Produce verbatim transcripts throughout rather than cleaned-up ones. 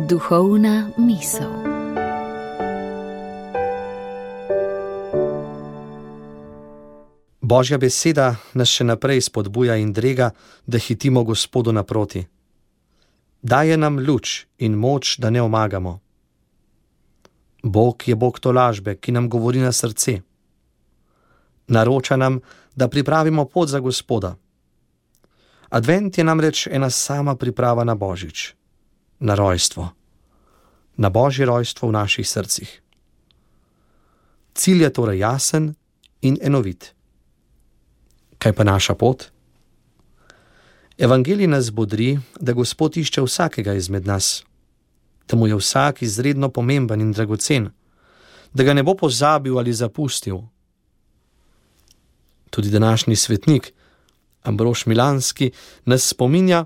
Duhovna misel. Božja beseda nas še naprej spodbuja in drega, da hitimo Gospodu naproti. Daje nam luč in moč, da ne omagamo. Bog je Bog tolažbe, ki nam govori na srce. Naroča nam, da pripravimo pot za Gospoda. Advent je namreč ena sama priprava na Božič, na rojstvo, na Božje rojstvo v naših srcih. Cilj je torej jasen in enovit. Kaj pa naša pot? Evangelij nas bodri, da Gospod išče vsakega izmed nas, da mu je vsak izredno pomemben in dragocen, da ga ne bo pozabil ali zapustil. Tudi današnji svetnik, Ambrož Milanski, nas spominja,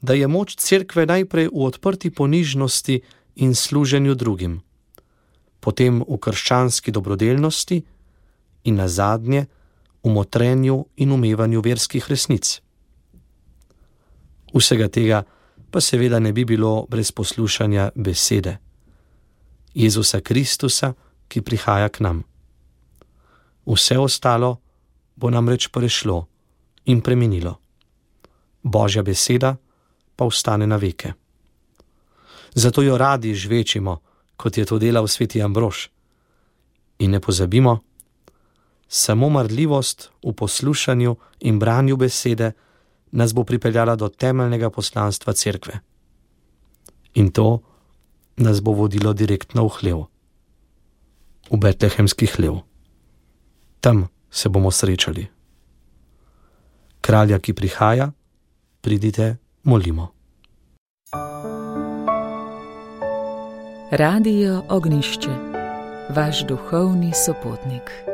da je moč cerkve najprej v odprti ponižnosti in služenju drugim, potem v krščanski dobrodelnosti in nazadnje v motrenju in umevanju verskih resnic. Vsega tega pa seveda ne bi bilo brez poslušanja besede Jezusa Kristusa, ki prihaja k nam. Vse ostalo bo namreč prešlo in preminilo. Božja beseda pa ostane na veke. Zato jo radi žvečimo, kot je to delal sveti Ambrož. In ne pozabimo, samo marljivost v poslušanju in branju besede nas bo pripeljala do temeljnega poslanstva cerkve. In to nas bo vodilo direktno v hlev, v betlehemski hlev. Tam se bomo srečali. Kralja, ki prihaja, pridite, molimo. Radio Ognjišče, vaš duhovni sopotnik.